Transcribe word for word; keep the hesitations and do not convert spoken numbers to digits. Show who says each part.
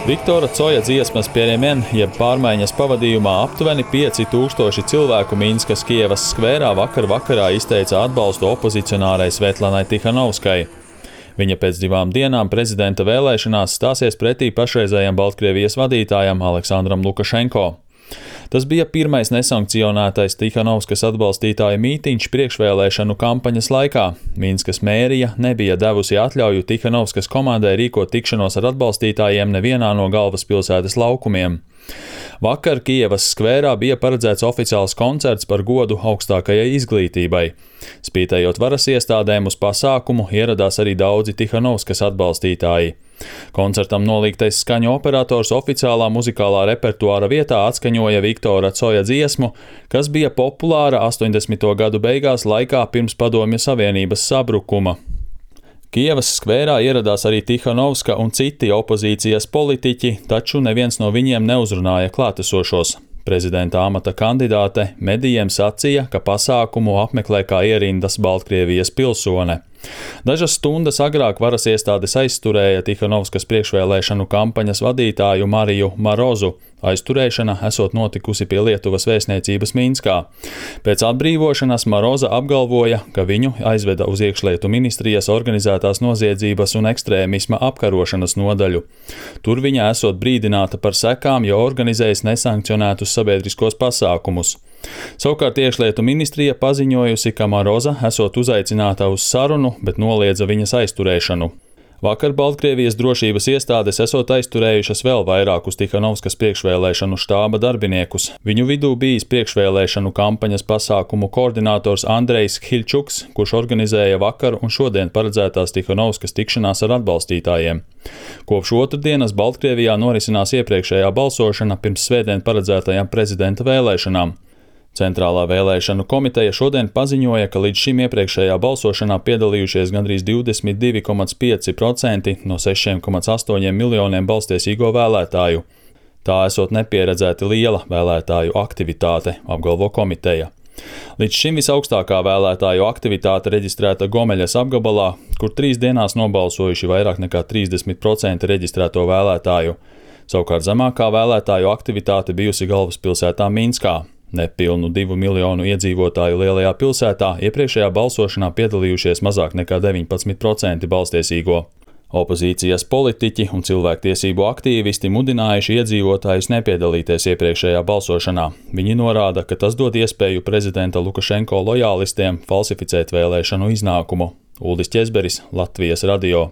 Speaker 1: Viktora Coja dziesmas Pieremien, jeb pārmaiņas pavadījumā aptuveni pieci tūkstoši cilvēku Minskas Kievas skvērā vakar vakarā izteica atbalstu opozicionārai Svetlanai Tihanovskai. Viņa pēc divām dienām prezidenta vēlēšanās stāsies pretī pašreizējam Baltkrievijas vadītājam Aleksandram Lukašenko. Tas bija pirmais nesankcionētais Tihanovskas atbalstītāju mītiņš priekšvēlēšanu kampaņas laikā. Minskas mērija nebija devusi atļauju Tihanovskas komandai rīkot tikšanos ar atbalstītājiem nevienā no galvaspilsētas laukumiem. Vakar Kievas skvērā bija paredzēts oficiāls koncerts par godu augstākajai izglītībai. Spītējot varas iestādēm uz pasākumu, ieradās arī daudzi Tihanovskas atbalstītāji. Koncertam nolīgtais skaņu operators oficiālā muzikālā repertuāra vietā atskaņoja Viktora Coja dziesmu, kas bija populāra astoņdesmito gadu beigās laikā pirms Padomju Savienības sabrukuma. Kievas skvērā ieradās arī Tihanovska un citi opozīcijas politiķi, taču neviens no viņiem neuzrunāja klātesošos. Prezidenta amata kandidāte medijiem sacīja, ka pasākumu apmeklē kā ierindas Baltkrievijas pilsone. Dažas stundas agrāk varas iestādes aizturēja Tihanovskas priekšvēlēšanu kampaņas vadītāju Mariju Marozu. Aizturēšana esot notikusi pie Lietuvas vēstniecības Minskā. Pēc atbrīvošanas Maroza apgalvoja, ka viņu aizveda uz iekšlietu ministrijas organizētās noziedzības un ekstrēmisma apkarošanas nodaļu. Tur viņa esot brīdināta par sekām, jo organizējas nesankcionētus sabiedriskos pasākumus. Savukārt iekšlietu ministrija paziņojusi, ka Maroza esot uzaicināta uz sarunu, bet noliedza viņas aizturēšanu. Vakar Baltkrievijas drošības iestādes esot aizturējušas vēl vairākus Tihanovskas priekšvēlēšanu štāba darbiniekus. Viņu vidū bijis priekšvēlēšanu kampaņas pasākumu koordinators Andrejs Khilčuks, kurš organizēja vakar un šodien paredzētās Tihanovskas tikšanās ar atbalstītājiem. Kopš otrdienas Baltkrievijā norisinās iepriekšējā balsošana pirms svētdien paredzētajām prezidenta vēlēšanām. Centrālā vēlēšanu komiteja šodien paziņoja, ka līdz šim iepriekšējā balsošanā piedalījušies gandrīz divdesmit divi komats pieci procenti no sešiem komats astoņiem miljoniem balstiesīgo vēlētāju. Tā esot nepieredzēti liela vēlētāju aktivitāte, apgalvo komiteja. Līdz šim visaugstākā vēlētāju aktivitāte reģistrēta Gomeļas apgabalā, kur trīs dienās nobalsojuši vairāk nekā trīsdesmit procenti reģistrēto vēlētāju. Savukārt zemākā vēlētāju aktivitāte bijusi galvaspilsētā Minskā. Nepilnu divu miljonu iedzīvotāju lielajā pilsētā iepriekšējā balsošanā piedalījušies mazāk nekā deviņpadsmit procenti balstiesīgo. Opozīcijas politiķi un cilvēktiesību aktīvisti mudinājuši iedzīvotājus nepiedalīties iepriekšējā balsošanā. Viņi norāda, ka tas dod iespēju prezidenta Lukašenko lojālistiem falsificēt vēlēšanu iznākumu. Uldis Ķezberis, Latvijas radio.